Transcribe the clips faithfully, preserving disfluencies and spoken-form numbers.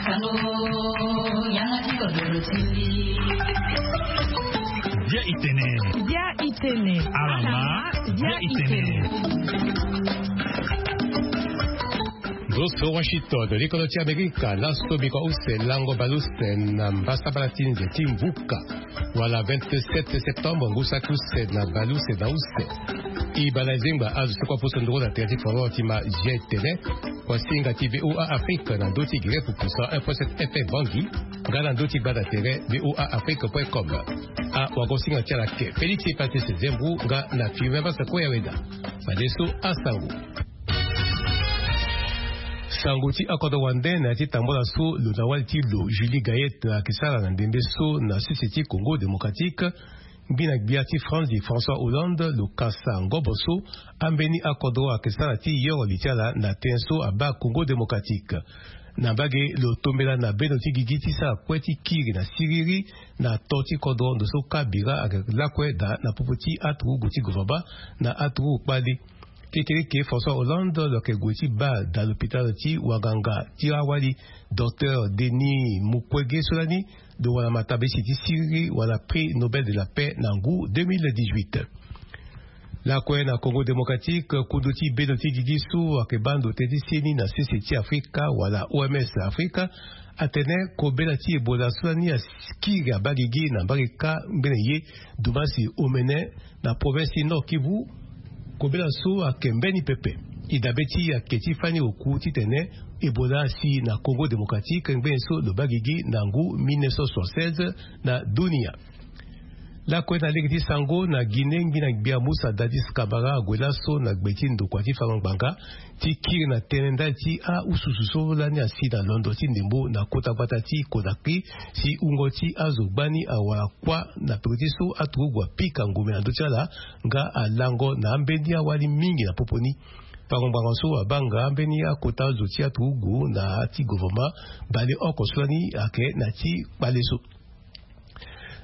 Bia itene. Bia itene. Alama. Bia itene. Zo so Washington, likolo ti Amerika, laso biko use lango bale use na mbasabala ti nze ti mbuka, wala vingt-sept septembre, ngu saki use na bale use na use. E bale zengba azo so kue aposo nduru na tere ti foro ti ma G T N. Wasinga ti V O A Afrique na ndö ti gere pupusa un point sept F M Bangui, nga na ndö ti gbanda tere V O A Afrique point com. Awagosinga ti ala ke Félix Patrice Zembou nga na Firmin Masako Yaweda. Fadeso asango. Sango ti akodro wande na ya ti tambola so lo na wali ti lo Julie Gayet ayeke sara na ndembe so na sese ti Congo Démocratique. Ngbina gbia ti France, François Hollande, lo kasa ngobo so ambeni akodro ayeke sara ti yoro li ti ala na tënë so abaa Congo Démocratique. Na mbage, lo tombela na bendo ti gigi ti sara kue ti kiri na siriri na to ti kodro ndo so ka bira ayeke lakue daa na popo ti aturugu ti gouvernement na aturugu kpale. Kekereke François Hollande lo yeke gue ti baa daa lopitalo ti wanganga ti awali, Docteur Denis Mukwege, so lani lo wara matabesi ti siriri wala Prix Nobel de la Paix na ngu deux mille dix-huit. Lakue na Congo Démocratique, kundu ti bendo ti gigi so ayeke baa ndo tënë ti seni na sese ti Afrika wala O M S Afrika atene kobela ti Ebola so lani akiri abaa gigi na mbage kâ ngbene ye, dumasi omene, na province ti Nord Kivu. Kobela so ayeke mbeni pepe. E dabe ti e ayeke ti fani oku titene Ebola asi na Congo Démocratique ngbene so lo baa gigi na ngu mille neuf cent soixante-seize na dunia. Lakue na lege ti sango, na Guinée, ngbina gbia Moussa Dadis Camara ague laso na gbe ti ndokua ti fango ngbanga ti kiri na tënë ndali ti aususu so lani asi na londo ti ndembo na kota gbata ti Conakry, si wungo ti azo gbani awara kuâ na peko ti so aturugu apika ngombe na ndö ti ala, nga alango na ambeni awali mingi na popo ni. Fango ngbanga so abaa nga ambeni akota zo ti aturugu na ya ti gouvernement baleoko so lani ayeke na ya ti kpale so.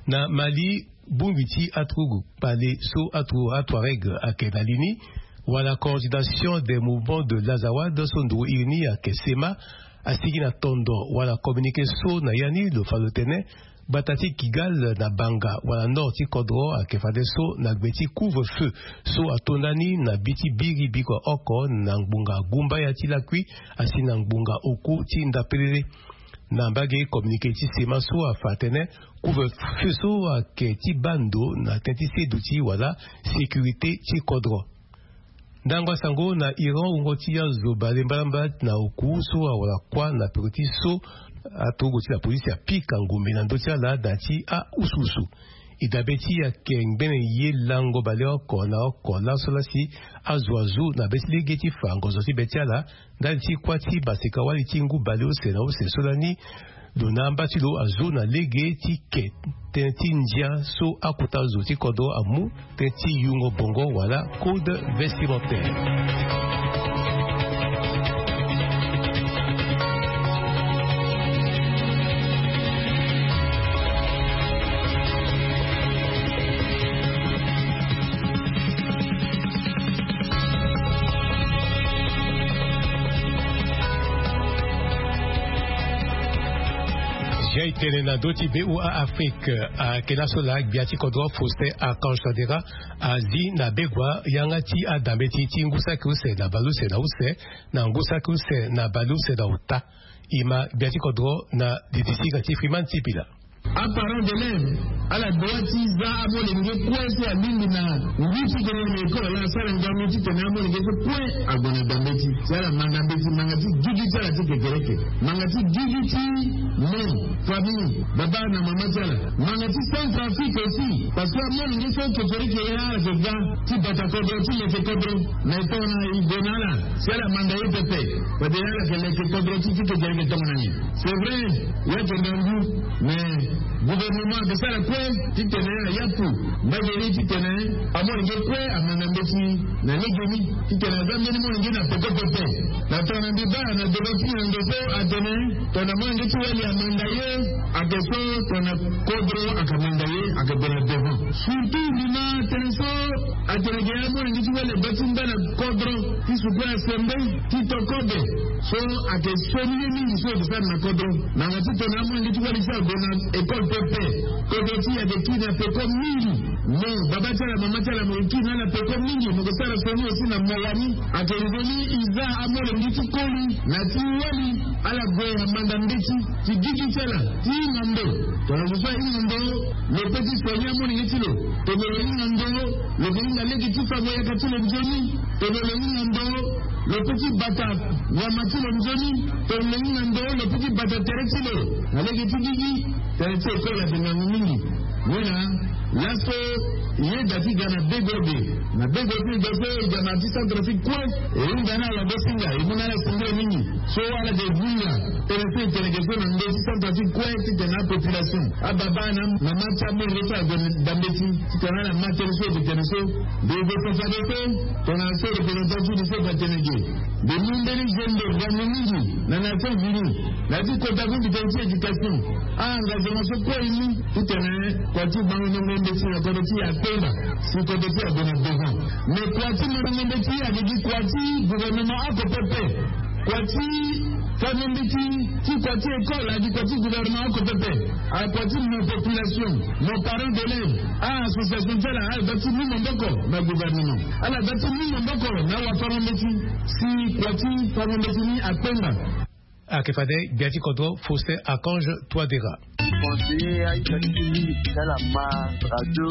Na Mali, bongbi ti aturugu kpale so aturugu Atuareg ayeke na li ni, wala Coordination des Mouvements de l'Azawad so nduru iri ni ayeke SEMA, asigi na tondo wala communiqué so na ya ni lo fa lo tene gbata ti Kigal na Banga wala nord ti kodro ayeke fadeso na gbe ti couvre-feu so ato ndani na bi ti biri biko oko na ngbonga gumbaya ti lakui asi na ngbonga oku ti ndapelele. Na mbage, communiqué ti SEMA so afa atene couvre-feu so ayeke ti baa ndo na tënë ti seduti wala sécurité ti kodro. Ndango asango, na Iran, wungo ti azo bale mbalambala na oku so awara kuâ na peko ti so aturugu ti lapolisi apika ngombe na ndö ti ala na ya ti aususu. E dabe ti e ayeke ngbene ye lango baleoko na oko laso lasi azo azu na be ti lege ti fa ngonzo ti be ti ala ndali ti kuâ ti maseka-wali ti ngu baleuse na use so lani lo na amba ti lo azu na lege ti ke tënë ti ndia so akota zo ti kodro amu tënë ti yungo bongo wala code vestimentaire. Jai tene na ndö ti V O A Afrique, ayeke laso laa gbia ti kodro Faustin Archange Touadéra azi na begua yanga ti adambeti ti ngu saki use na baleuse na use na ngu saki use na baleuse na ota. E ma gbia ti kodro na didisiga ti Freeman Sipila. Aparent d'élève ala doit ti za amolenge kue so alingbi na ngu ti tene na école ala asara ngangu titene amolenge so kue ague na dambeti. Si ala ma dambeti, manga ti gigi ti ala ti kekereke, manga ti gigi ti mo, famille, baba na mama ti ala, manga ti Centrafrique aussi, parce que amolenge so kekereke ya ala ke ga ti bata kodro ti leke kodro. Mais tongana e gue na ala, si ala manda ye pepe, fade ala yeke leke kodro ti ti kekereke tongana ni. C'est vrai, ya yeke ngangu, mais gouvernement ayeke sara kue titene ayaku mbage ni titene amolenge kue amanda mbeti na lege ni, titene aza mbeni molenge na peko pepe. Na tongana mbi baa na devant ti nyango so atene tongana molenge ti wali Manda ye ake so tongana kodro aka manda ye ake gue na devant. Surtout ndima tene so atene ake ya amolenge ti wele ba ti mba na kodro ti suku asembe ti to kobe. So ake soni ye mingi so eke sara na kodro. Nanga ti tongana amolenge ti wele ti ague na école pepe, kodro ti ake kiri na peko mingi. Mo baba ti ala mama ti ala mo kiri na ala peko mingi mo ke sara soni aussi na mo wani. Ake nzoni iza amolenge ti koli na ti wali ala gue na manda mbeti ti gigi ti ala ti hinga ndo. Tongana zo so ahinga ndo, lo pe ti soigner amolenge ti lo. Tongana lo hinga ndo, lo ke hinga lege ti fango yaka ti lo nzoni. Tongana lo hinga ndo, lo pe ti bata nyama ti lo nzoni. Tongana lo hinga ndo, lo pe ti bata tere ti lo na lege ti gigi. Tere ti école ake ngangu mingi. Wena laso yeda ti ga na bego ge na bego ti ga so e ga na ti centre ti kue. E hunda na ala be singa e mu na ala singila mingi. So ala de vunga tene so e tene ge so na ndo ti centre ti kue ti tene apopulation ababa na mama ti amolenge so ague na dambeti ti tene ala ma tene so e ke tene so. Be e ke fa fade so tongana so représentant ti ni so e fa tene ge. Mbi mu mbeni zendo ngangu mingi na Nations Unies na ya ti kota ku mbi tene ti éducation. Ah engagement so kue e mu ti tene kua ti bango ndongo mbeti na kodro ti e akpenda si kodro ti e ague na devant. Mais kua ti mo ndongo mbeti ake gi kua ti gouvernement oko pepe. Kua ti fango mbeti ti kua ti école ake kua ti gouvernement oko pepe. Ake kua ti mo population, mo parent d'élève. Ah association ti ala ala da ti mu maboko na gouvernement. Ala da ti mu maboko na wafango mbeti si kua ti fango mbeti ni akpenda. Ake fade gbia ti kodro Faustin Archange Touadera. Conseiller aita ti mingi ti ala ma radio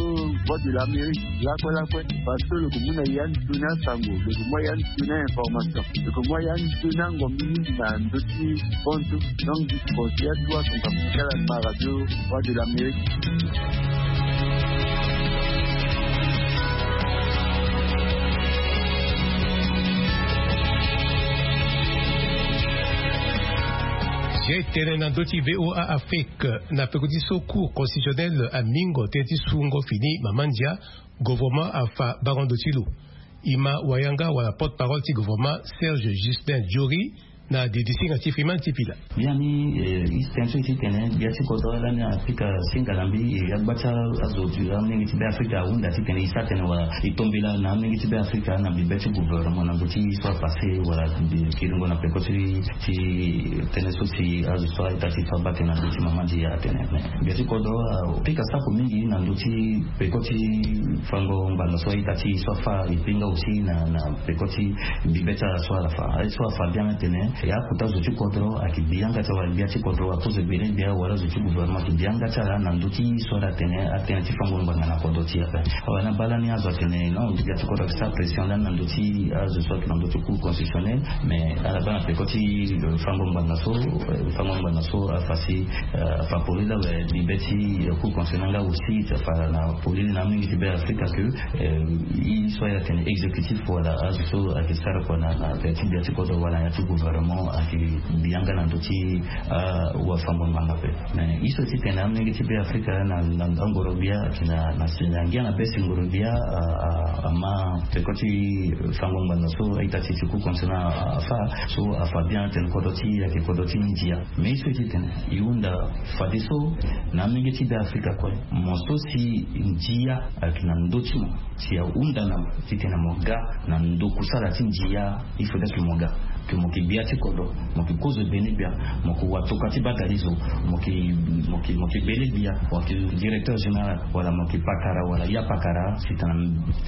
Voix de l'Amérique lakue lakue. Parce que lo ke mu na ya ni toni asango, lo ke mu ya ni toni information, lo ke mu ya ni toni angombi mingi na ndö ti fontu. Donc conseiller atu asango ti ala ma radio Voix de l'Amérique. Si e tene na ndö ti VOA Afrique na peko ti so Cour constitutionnelle amingo tënë ti sungo fini mama ndia, gouvernement afa bango ndo ti lo. E ma wayanga wala porte-parole ti gouvernement Serge Justin Jory na didisinga ti Freeman Tipila. Biani e tene so e ti tene gbia ti kodro lani Afrika singa na mbi e agba ti azo ti amolenge ti be Afrika ahunda ti tene e sara tene wala e tombela na amolenge ti be Afrika na mbi be ti gouvernement na ndö ti so apassé wala kiringo na peko ti ti tënë so si azo so aita ti fa bate na ndö ti mama ndia atene. Mais gbia ti kodro apika sako mingi na ndö ti peko ti fango ngbanga so aita ti so afa e pinga aussi na na peko ti mbi be ti ala so ala fa aye so afa bien atene. E akota zo ti kodro ayeke bi yanga ti ala wala gbia ti kodro akozo ebele gbia wala zo ti gouvernement ayeke bi yanga ti ala na ndö ti so ala tene atënë ti fango ngbanga na kodro ti e ape. Awe na baa lani azo atene non gbia ti kodro ayeke sara pression lani na ndö ti azo so ayeke na ndö ti Cour constitutionnelle. Mais ala baa na peko ti fango ngbanga so fango ngbanga so afa si afa polele awe mbi be ti Cour constitutionnelle nga aussi ti afa na polele na amolenge ti be Afrika que e so aye atene exécutif wala azo so ayeke sara kua na na ya ti gbia ti kodro wala na ya ti gouvernement ayeke bi yanga na ndö ti awafango ngbanga ape. Mais e so ti tene amolenge ti be Afrika na na angoro gbia ayeke na na ngia na be singoro gbia ama peko ti fango ngbanga so aita ti ti Cour constitutionnelle afa so afa bien atene kodro ti e ayeke kodro ti ndia. Mais e so e ti tene e hunda fadeso na amolenge ti be Afrika kue mo so si ndia ayeke na ndö ti mo si ahunda na mo ti tene mo ga na ndo kusala ti ndia. Il faudrait que mo ga que mo yeke gbia ti kodro, mo yeke kozo ebene gbia, mo yeke watokua ti badalizo, mo yeke mo yeke mo yeke bele gbia, mo yeke directeur général wala mo yeke pakara wala ya pakara si tena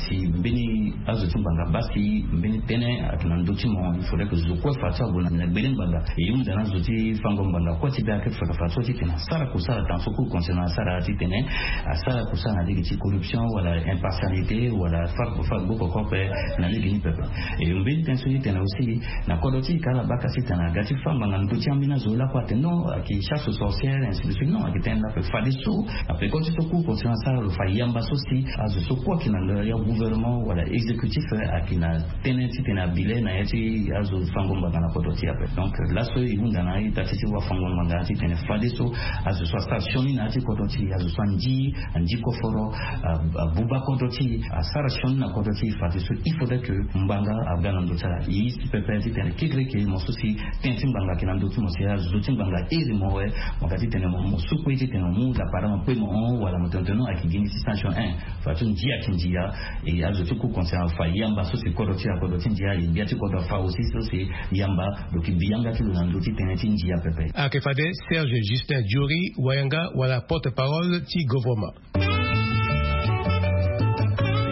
si mbeni azo ti ngbanga baa si mbeni tënë ayeke na ndö ti mo. Il faudrait que zo kue fa ti ague na gbele ngbanga. E hunda na azo ti fango ngbanga kue ti be ayeke fa fa so ti tena asara kusala tanga so Cour constitutionnelle asara ti tene asara kusala na lege ti corruption wala impartialité wala fa fa gbo koko ape na lege ni pepe. E mbeni tënë so ti tene aussi na kodro ti e ka ala baka ti tene aga ti fa ngbanga na ndö ti ambeni azo lakue atene non ayeke chasse aux sorcières ainsi de suite non ayeke tënë ni ape fadeso na peko ti so Cour constitutionnelle asara lo fa yamba so si azo so kue ayeke na ndö ya gouvernement wala exécutif ayeke na tënë ti tene abile na ya ti azo fango ngbanga na kodro ti e ape. Donc laso e hunda na ita ti ti wafango ngbanga ti tene fadeso azo so asara sioni na ya ti kodro ti e azo so andi andi koforo abuba kodro ti e asara sioni na kodro ti e fadeso il faudrait que ngbanga aga na ndö ti ala e si pepe ti tene Kekereke mo so si ten ti ngbanga ayeke na ndö ti mo si azo ti ngbanga iri mo awe. Mo ga titene mo sukui titene mo mu lapara mo kpe mo hon wala mo tene tene non ayeke gi ni ti sanction. Fa ti ndia ayeke ndia. E azo ti ku conscient afa yamba so si kodro ti akodro ti ndia e gbia ti kodro afa aussi so si yamba. Lo yeke bi yanga ti lo na ndö ti tënë ti ndia pepe. Ayeke fade Serge Justin Diori, wayanga wala porte-parole ti govornement. E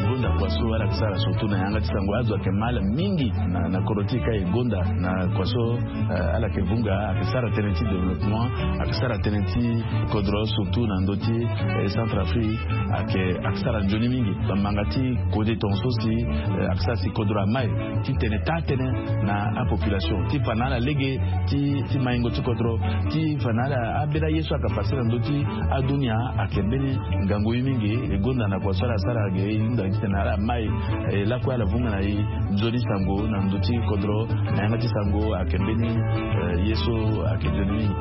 gonda kua so ala yeke sara surtout na yanga ti sango azo ayeke mal mingi na kodro ti e ka e gonda na kua so. Ala yeke vunga ayeke sara tënë ti développement, ayeke sara tënë ti kodro surtout na ndö ti Centrafrique. Ayeke ayeke sara nzoni mingi bambanga ti kode tonga so si ayeke sara si kodro amai ti tene taa tënë na apopulation ti fa na ala lege ti maingo ti kodro ti fa na ala ambeni aye so ayeke pase na ndö ti adunia. Ayeke mbeni ngangu ye mingi e gonda na kua so ala sara ge e hunda titene ala mai e lakue ala vunga na e nzoni sango na ndö ti kodro na yanga ti sango ayeke mbeni ye so ayeke nzoni mingi.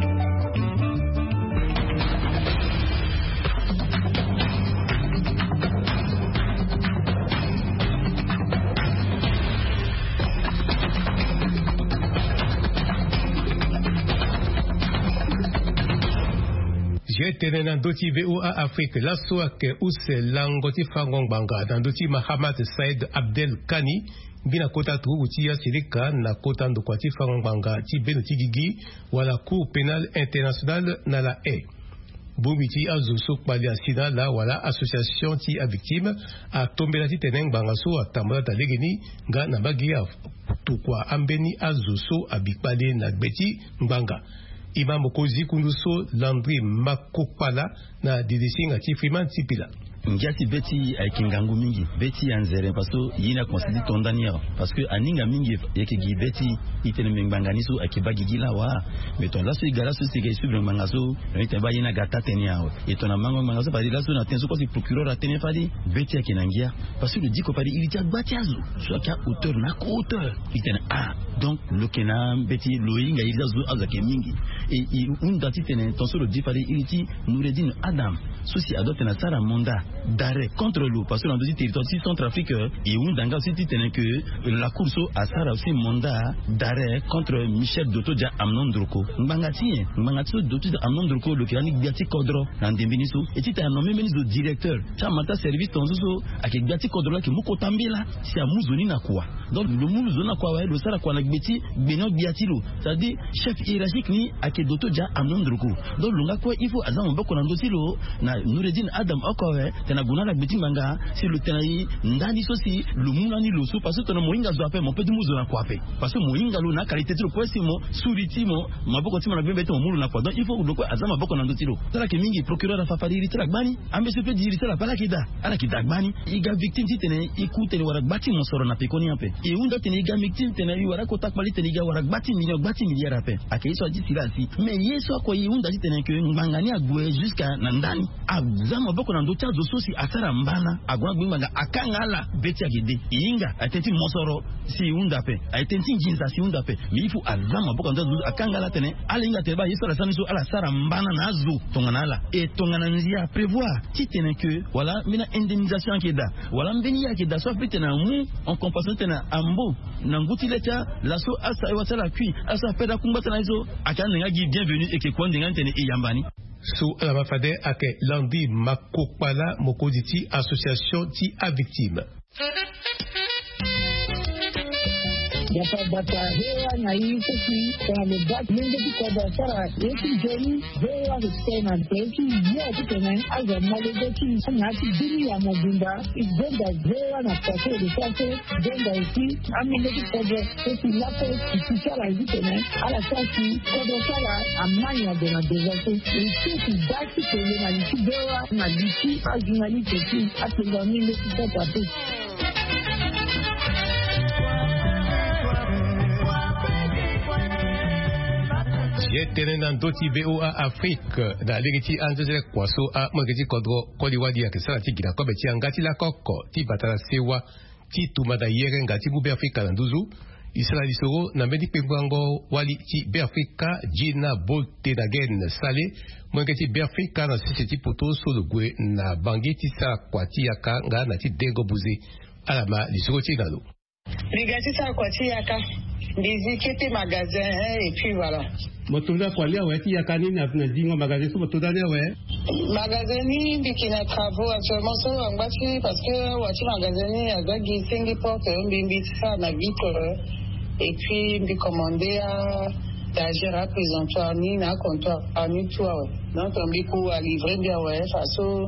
Zia tene na ndö ti VOA Afrique laso ayeke use lango ti fango ngbanga na ndö ti Mahamat Said Abdel Kani, ngbina kota turugu ti asilika na kota ndokua ti fango ngbanga ti beno ti gigi wala Cour pénale internationale na La Haye. Bongbi ti azo so kpali asi na ala wala association ti avictime atombela titene ngbanga so atambula daa legeni nga na mbage atokua ambeni azo so abi kpali na gbe ti ngbanga. E ma mokonzi kundu so Landry Makokpala na didisinga ti Freeman Sipila. Ngia ti be ti e ayeke ngangu mingi, be ti e anzere parce que ye ni akomanse ti to ndani awe. Parce que aninga mingi e yeke gi be ti e, e tene mbi ngbanga ni so ayeke baa gigi laa wa. Mais tongana laso e ga laso si e ga e suivre ngbanga so, donc e tene baa ye ni aga taa tënë awe. E tongana mango ngbanga so fade laso na tënë so kue si procureur atene fade be ti e ayeke na ngia. Parce que lo diko fade iri ti agba ti azo so ayeke ahauteur na ako-hauteur. E tene ah, donc lo yeke na mbeti lo hinga iri ti azo, azo ayeke mingi. E e hunda titene tongaso lo di fade iri ti Noureddine Adam so si adoit tene asara mandat d'arrêt contre lo parce que na ndö ti territoire ti Centrafrique. E hunda nga aussi titene ke la cour so asara aussi mandat d'arrêt contre Michel Dotodia Amnon Ndroko. Ngbanga ti nyen? Ngbanga ti so Dotodia Amnon Ndroko lo yeke lani gbia ti kodro na ndembe ni so. E titene anommer mbeni zo directeur ti amata service tongaso so ayeke gbia ti kodro laa ayeke mu kota mbela si amu zo ni na kua. Donc lo mu zo ni na kua awe, lo sara kua na gbe ti gbenyo-gbia ti lo, c'est-à-dire chef hiérarchique ni ayeke Dotodia Amnon Ndroko. Donc lo nga kue il faut aza maboko na ndö ti lo na Noureddine Adam oko awe, tena gue na ala gbe ti ngbanga si lo tena e ndani so si lo mu lani lo so parce que tongana mo hinga zo ape mo peut ti mu zo na kua ape. Parce que mo hinga lo na akalité ti lo kue si mo suri ti mo, maboko ti mo na gbengbe ti mo mu lo na kua. Donc il faut lo kue aza maboko na ndö ti lo. Ti ala yeke mingi, procureur afa fade iri ti ala gbani. Ambeni so peut di iri ti ala ape ala yeke daa, ala yeke daa gbani. E ga victime titene e ku tene e wara gba ti mosoro na pekoni ape. E hunda tene e ga victime tene e wara kota kpali titene e ga wara gba ti million, gba ti milliard ape. Ayeke ye so adi si laa si. Mais ye so oko e hunda titene ke ngbanga ni ague jusqu'à na ndani. Aza maboko na ndö ti azo so si asara mbana ague na gbe ngbanga akanga ala be ti ayeke de. E hinga aye tënë ti mosoro si e hunda ape, aye tënë ti nginza si e hunda ape. Mais il faut aza maboko na ndö ti azo so akanga ala tene ala hinga tene baa ye so ala sara ni so ala sara mbana na azo tongana ala. E tongana ndia aprévoir titene ke wala mbeni indemnisation ayeke daa wala mbeni ye ayeke daa so apeut tene amu en compensation titene ambo na ngu ti le ti ala so asara e wa ti ala kui ala so apede akungba ti ala ni so. Ayeke ande nga gi bienvenu e yeke kua ande nga ni tene e yamba ni. So ala ma fade ayeke Landry Makokpala, mokonzi ti association ti avictime. Gbata gbata he wa na i so si tongana lo baa molenge ti kodro asara ye ti nzoni. He wa respect na nze ti ye titene azo amolenge ti na ya ti bini ya mobimba. E gonda he wa na kua so e lo sara so. Gonda aussi amolenge ti kodro so si laso e si ti ala ye titene ala sara si kodro ti ala amai na gue na deza so. E so si baa ti tene na li ti he wa na li ti ajournaliste ti atonga molenge ti kodro ape. Ye tënë na ndö ti VOA Afrique na lege ti anzezele kua so amolenge ti kodro koli wali ayeke sara ti gi na kobe ti yanga ti lako oko ti bata na sewa ti tumba na yerenga ti mu Beafrika na nduzu. E sara lisoro na mbeni kpengbango wali ti Beafrika Gina Boltenagen Sale, molenge ti Beafrika na sese ti poto so lo gue na Bangui ti sara kua ti yaka nga na ti dengo buze. Ala ma lisoro ti e na lo. Mbi ga ti sara kua ti yaka. Mbi zi kete magasin, hein, et puis voilà. Mo to nda kua li awe ti yaka ni na na zingo magasin so mo to nda ni awe? Magasin ni mbi yeke na travaux actuellement so angba ti, parce que awa ti magasin ni aza gi senge porte, mbi mbi ti sara na vitre, et puis mbi commande a étagère, aprésentoir ni na acomptoir ni tout awe. Donc mbi ku alivrer mbi awe, faso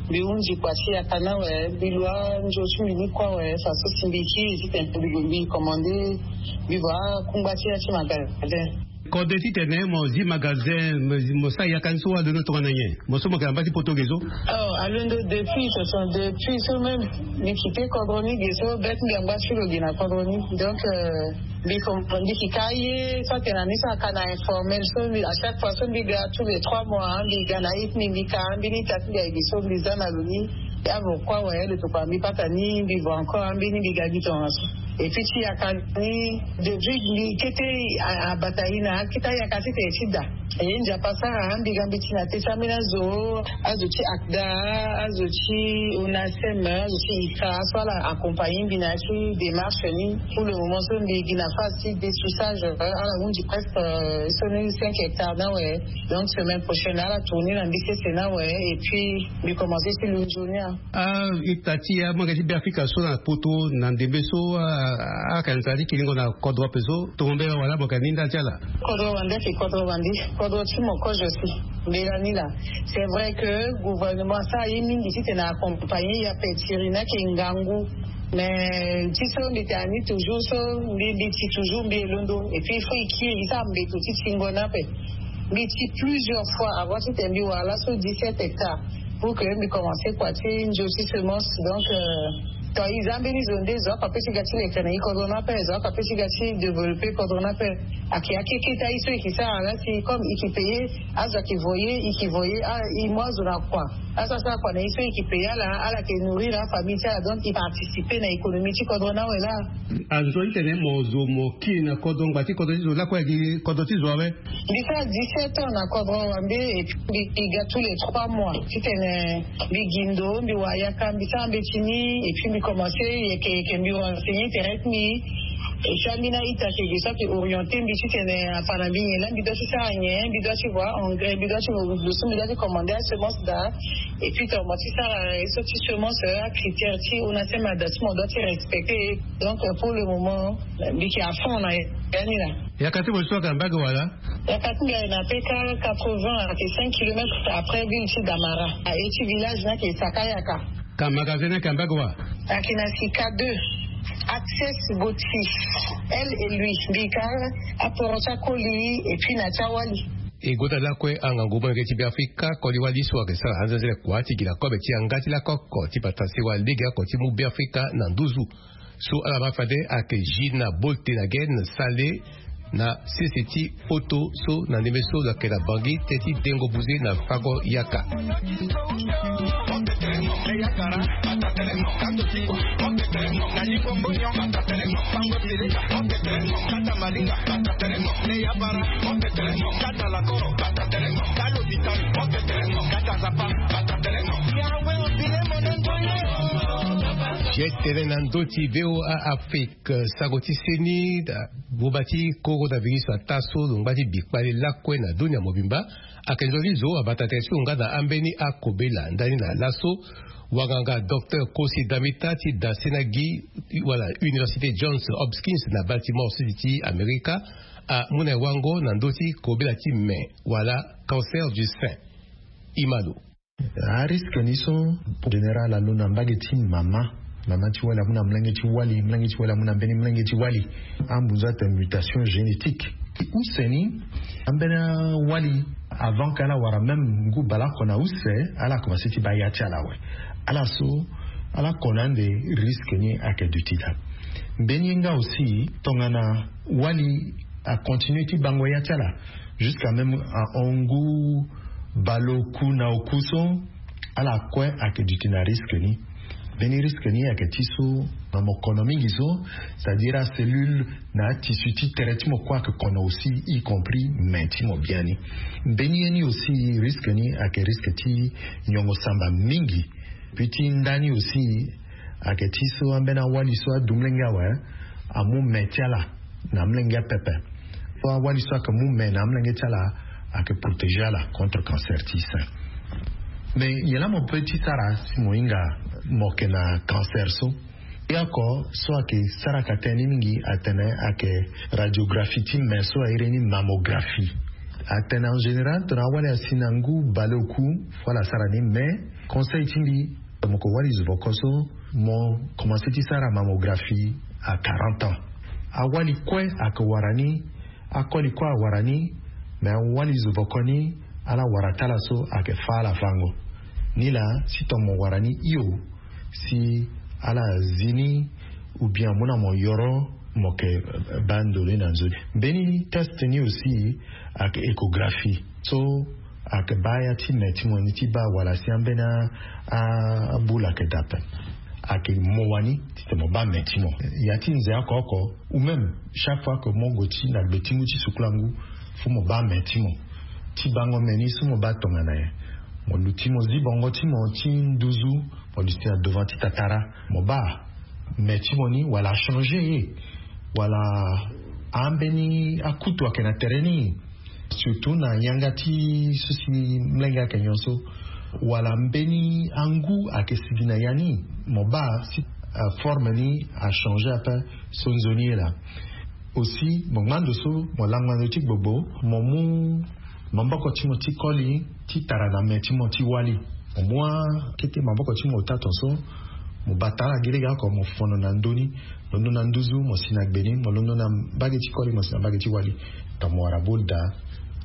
mbi hunzi kua ti yaka ni awe, mbi lu anzo ti mbi ni kue awe, faso si mbi kiri titene mbi gue mbi commande, mbi voit akungba ti ya ti magasin. Kode titene mo zi magasin, mo zi, mo sara yaka ni so alondo tongana nyen? Mo so mo yeke na mba ti poto ge so? Oh, alondo depuis, ce sont depuis so même mbi kite kodro ni ge so, bête mbi angba ti lo ge na kodro ni. Donc euh, mbi ko mbi yeke ka ye so atene na ni so aka na informel so, mbi à chaque fois so mbi ga tous les trois mois, hein, mbi ga na ye ti mbi, mbi ka ambeni ita ti mbi aye ge so mbi za na lo ni. Ya vo kue awe, lo tokua mbi pata ni, mbi vo encore ambeni mbi ga gi tongana so. Et puis ti yaka ni, depuis mbi kete a- abata ye na akete ayaka titene ti da. E nzapa sara mbi ga mbi ti na te ti ambeni azo, azo ti akda, azo ti onasem, azo ti ika so ala accompagner mbi na ya ti démarche ni. Pour le moment so mbi gi na phase ti dessouchage, euh, ala hunzi presque, euh, so ni cinq hectares ni awe. Donc semaine prochaine ala tourner na mbi sese ni awe, et puis mbi commencer ti lunzo ni a. A ita ti amonge ti Beafrika so na poto na ndembe so, a- a- ayeke na nzara ti kiringo na kodro ape so, tongo mbela wala mo yeke na ni ndali ti ala? Kodro wande ayeke kodro wande, kodro ti mo kozo si. Mbela ni laa, c'est vrai que gouvernement asara ye mingi titene accompagner ye ape, tiri ni ayeke ngangu. Mais ti so mbi tene na ni toujours so, mbi mbi ti toujours mbi e londo, et puis il faut e kiri e sara mbeto ti tingo ni ape. Mbi ti plusieurs fois avant titene mbi wara laso dix-sept hectares pour que mbi commencer kua ti nzo ti semence. Donc euh, to e za mbeni zo nde zo oko ape ti ga ti leke na e kodro ni ape, zo oko ape ti ga ti développer kodro ni ape. Ayeke akeketa ye so e yeke sara la si comme e yeke payer, azo ayeke voyer, e yeke voyer, ah, e mu azo na kua, azo asara kua na ye so e yeke payer ala, ala yeke nourrir afamille ti ala, donc e participer na économie ti kodro ni awe laa. Anzoni tene mo zo mo kiri na kodro, ngba ti kodro ti zo lakue ayeke kodro ti zo awe? Mbi sara dix-sept ans na kodro wande, et puis mbi ga tous les trois mois titene mbi gi ndo, mbi wara yaka, mbi sara mbeti ni, et puis mbi commencer yeke yeke mbi renseigner tere ti mbi. Et puis ambeni a-ita ayeke ge so ayeke orienter mbi titene afa na mbi nyen laa mbi doit ti sara nyen, mbi doit ti voir engrais, mbi doit ti vo lo so mbi doit ti commander asemence daa. Et puis tongana mo ti sara ye so ti semence, acritère ti onasema daa so mo doit ti respecter. Donc pour le moment mbi yeke à fond na ya ni laa. Yaka ti mo so ayeke na mbage wala? Yaka ti mbi ayeke na peka quatre-vingts, ayeke cinq kilomètres après ville ti Damara. Aye ti village ni ayeke Saka Yaka. Ka magasin ni ayeke na mbage wa? Ayeke na Sika deux. Access Gauthier, elle et lui, mbi ka aporo ti akoli et puis na ti awali. E gota lakue angangu molenge ti Beafrika, koli wali so ayeke sara anzenzele kua ti gi na kobe ti yanga ti lako oko ti bata sewa legeoko ti mu Beafrika na nduzu. So ala ma fade ayeke Gina Bolte na Gen Sale na sese ti poto so na ndembe so lo yeke na Bangui teti dengo buze na fango yaka. Ye tene na ndö ti V O A Afrique, sango ti seni, buba ti coronavirus ataa so lo ngba ti bi kpale lakue na dunia mobimba. Ayeke nzoni zo abata tere ti lo nga na ambeni akobela ndani na laso. Wanganga docteur Kosi Damita ti da sena gi wala Université Johns Hopkins na Baltimore City ti Amerika amu na e wango na ndö ti kobela ti me wala cancer du sein. Imalo. Ariske ni so général alondo na mbage ti mama, mama ti wali amu na molenge ti wali, molenge ti wali amu na mbeni molenge ti wali. Ambunzu atene mutation génétique. Use ni ambeni awali, avant ke ala wara même ngu baleoko na use, ala commencé ti baa ya ti ala awe. Ala so ala kono ande, risque ni ayeke duti daa. Mbeni ye nga aussi tongana wali acontinué ti bango ya ti ala jusqu'à même ahon ngu baleoku na oku so, ala kue ayeke duti na risque ni. Mbeni risque ni ayeke ti so na mo kono mingi so, c'est-à-dire acellule na atissu ti tere ti mo kue ayeke kono aussi, y compris me ti mo biani. Mbeni ye ni aussi, risque ni ayeke risque ti nyongo samba mingi. Puis ti nda ni aussi ayeke ti so ambeni awali so adu molenge awe amu me ti ala. Na amolenge apepe. So awali so ayeke mu me na amolenge ti ala, ayeke protéger ala contre cancer ti sein. Mais nyen laa mo peut ti sara si mo hinga mo yeke na cancer so? Ye oko so ayeke saraka tënë ni mingi atene ayeke radiographie ti me so a iri ni mammographie. Atene en général tongana awali asi na ngu baleoku, fo ala sara ni. Mais conseil ti mbi, mo yeke wali zovoko so, mo commencer ti sara mammographie à quarante ans. Awali kue ayeke wara ni, akoli kue awara ni. Mais awali zovoko ni, ala wara ti ala so ayeke fâ ala fango. Nilaa si tongana mo wara ni hio, si ala zi ni, ou bien amu na mo yoro, mo yeke baa ndo ni na nzoni. Mbeni test ni aussi ayeke échographie so ayeke baa ya ti me ti mo ni ti baa wala si ambeni a, a, abula ayeke daa ape. Ayeke mo wani titene mo baa me ti mo. Ya ti nze oko oko, ou même chaque fois que mo gue ti na gbe ti ngu ti sukula ngu, fo mo baa me ti mo. Ti bango me ni so mo baa tongana nyen? Mo luti mo zi bongo ti mo ti nduzu, mo luti na devant ti tatara, mo baa me ti mo ni wala achanger ye, wala ambeni akutu ayeke na tere ni. Surtout na yanga ti so si molenge ayeke nyon so, wala mbeni angu ayeke sigi na ya ni, mo baa si, euh, forme ni achanger ape so nzoni ye laa. Aussi mo ngbando so mo langba ndo ti gbogbo, mo mu maboko ti mo ti koli ti tara na me ti mo ti wali. Mo mu akete maboko ti mo ota tonso, mo bata ala gi lege oko, mo fono na ndö ni, londo na nduzu mo si na gbe ni, mo londo na mbage ti koli mo si na mbage ti wali. Tongana mo wara bol daa,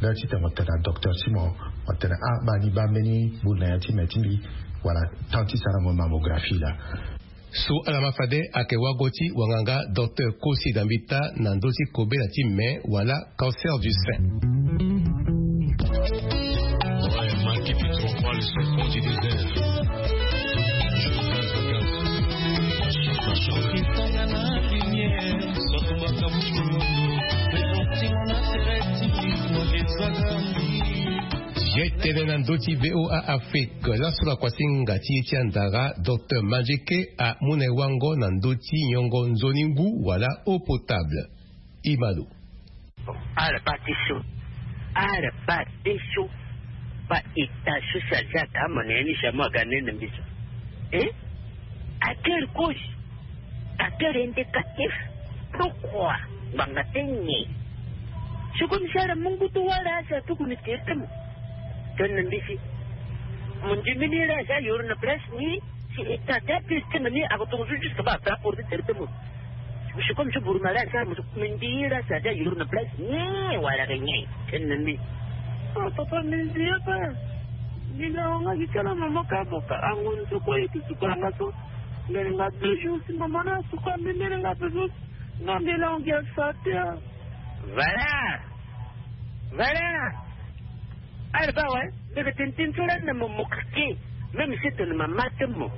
laa titene mo tene na docteur ti mo, mo tene ah, baa ni baa mbeni bol na ya ti me ti mbi, wala temps ti sara mo mammographie laa. So ala ma fade ayeke wago ti wanganga docteur Kosi Dambita na ndö ti kobela ti me wala cancer du sein. Ouais, Maki Pitropolis, le pont du désert. Ye tene na ndö ti V O A Afrique, laso na kuasinga ti ye ti andara, docteur Manjeke amu na e wango na ndö ti nyongo nzoni ngu wala eau potable. Imalo. Bon, ala baa ti so, ala baa ti so, baa état so si aza ka mo na ya ni, si amu aga nene mbi so. Eh? À quelle cause? À quel indicatif? Pourquoi? Ngbanga ti nyen? Si comme si ala mu ngu ti wara, si atuku ni tere ti mo. Tene na mbi si mo ndimi ni la, si ayoro na place ni, si état ti aprise ti mo ni ako tongaso jusque baa ape aporte tere ti mo. Si comme si buru ma la, si ala mo so mbi ndi la, si aza ayoro na place ni wala ke nyen? Tene na mbi. Ah, papa, mbi nzi ye pe. Mbi na wanga gi ti ala mama ka mo ka ango ni so kue ye ti suka nga so. Mbele nga deux jours si mama na suka mbi, mbele nga deux jours. Nga mbi la wanga sa te, ah. Voilà. Voilà. Ala baa awe, mbi yeke tene tënë so lani na mo, mo keke. Même si tene mama ti mo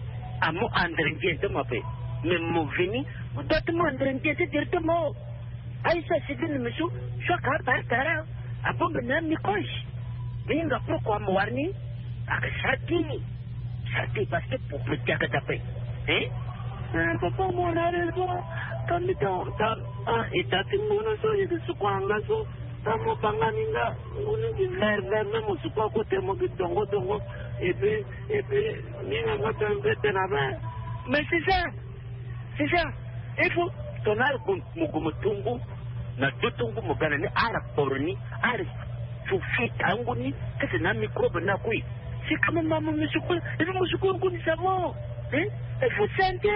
amu andre ndia ti mo ape, mais mo veni, mo doit ti mu andre ndia ti tere ti mo. Aye so asi veni na mbi so, so aka apara tara, abongbi na amicrobe. Mbi hinga pourquoi mo wara ni? Aka sara ti ni. Sara ti parce que pour protéger ape. Hein? Eh, papa, mo na raison. Ka mbi ta, ta, ah, état ti ngu ni so, ye ti suka nga so. Tango mo banga ni nga, ngu ni vert vert, même mo suka kote mo gi dongo dongo. Et puis, et puis, ni nga nga tene mpe tene na be. Mais c'est ça, c'est ça. Il faut tongana ala gue mo, gue mo tu ngu, na do ti ngu mo ga na ni, ala poro ni, ala sufi tangu ni, kese na microbe na kue. C'est quand même ma mo suka, et puis mo suka ngu ni ça va. Hein? Il faut santé.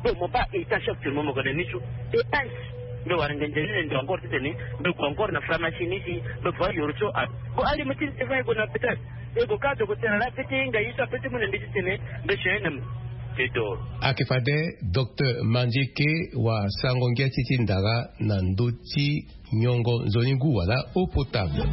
Bon, mo baa état actuellement mo ga na ni so. Dépense. Mbi wara ngenze ni ndo encore titene mbi gue encore na pharmacie ni si mbi voit yoro so. Ah. Bon, allez, mo ti va gue na hôpital. E gue ka dogo tene la petit nga ye so ape ti mu na mbi titene mbi si na mo. C'est tout. Ayeke fade docteur Manjeke wasango ngia ti ti ndara na ndö ti nyongo nzoni ngu wala eau potable.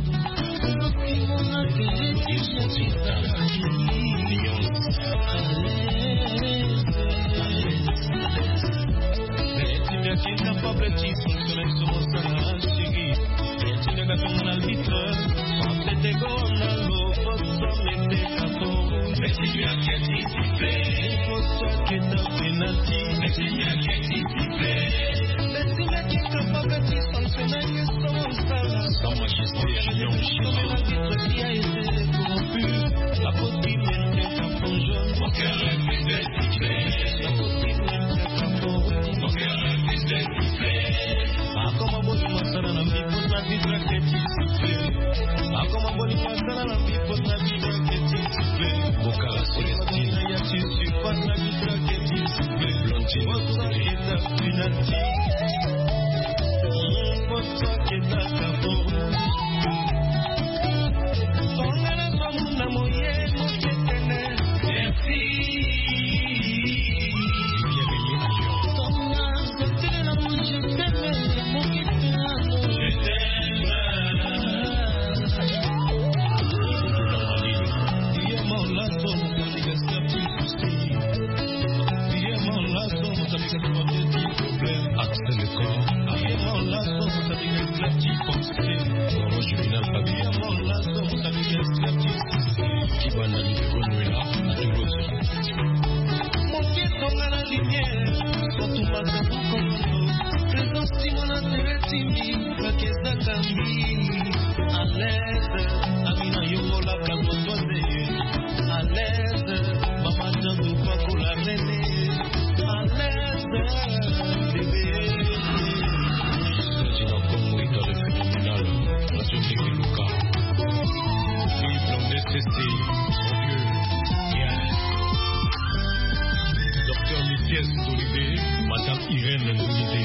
Docteur Mithiès Dolibé, Madame Irène Dolibé,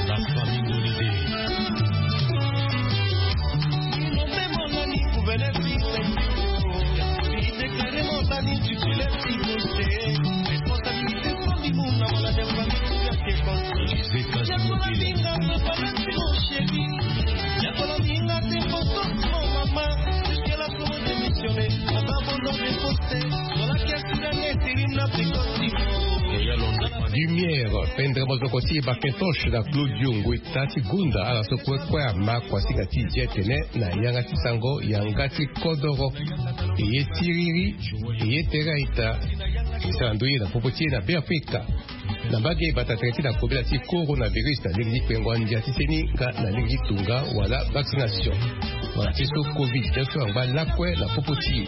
la famille Dolibé. Lumière, pendre mozoko ti Bakintoche na Claudio Ngweta ti Gunda, ala so kue kue ama kuasinga ti zi tene na yanga ti sango yanga ti kodoro. Eye tiriri, eye tere a-ita. E sara ndoye na popo ti e na Beafrika. Na mbage bata tere ti na kobela ti coronavirus na lege ti kpengo andia ti seni nga na lege ti tunga wala vaccination. Wala ti so covid neuf angba lakue na popo ti e.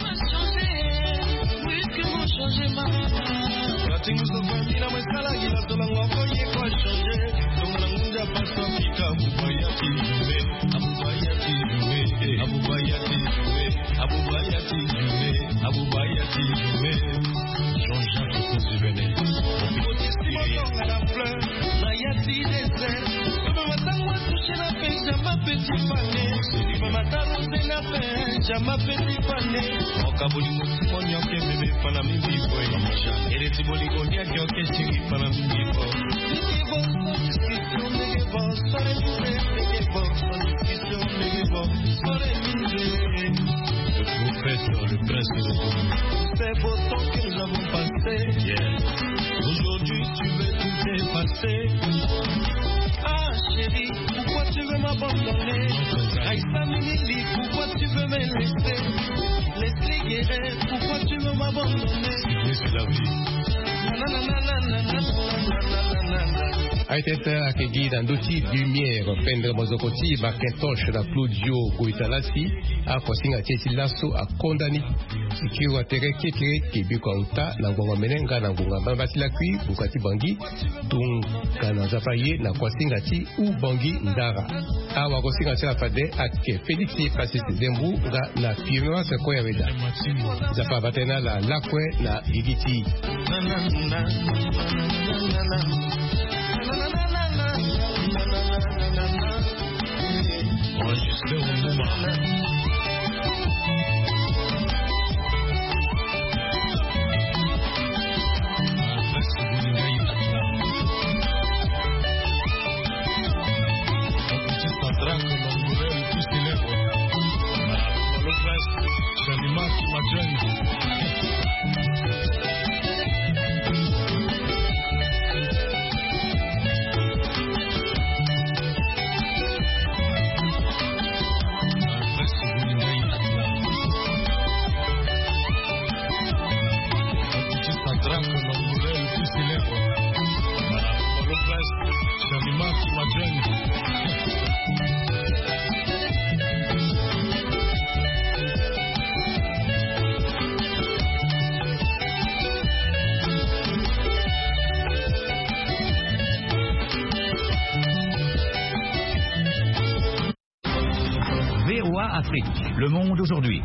Le prophète, le prince de l'autonomie. C'est beau temps que nous avons passé. Yeah. Aujourd'hui, tu veux tout effacer. Ah, chérie, pourquoi tu veux m'abandonner? Aïssa Mimili, pourquoi tu veux me laisser? Leslie Guerret, pourquoi tu veux m'abandonner? Oui, c'est la vie. Aye tete ayeke gi na ndö ti Lumière, pendre mozoko ti Bakintoche na Claudio Goitalasi. Akuasinga ti e ti laso akonda ni. Sikiro atere kekereke biko auta na ngonga mene nga na ngonga mbamba ti lakui buka ti Bangui. Tongana Nzapa aye na kuasinga ti Ubangui Ndara. Awagosinga ti ala fade ayeke Félix Pacis Zembu nga na Firmance Koyaweda. Nzapa abata ye na ala lakue na gigi ti e. Enregistré au Numa. Le monde aujourd'hui.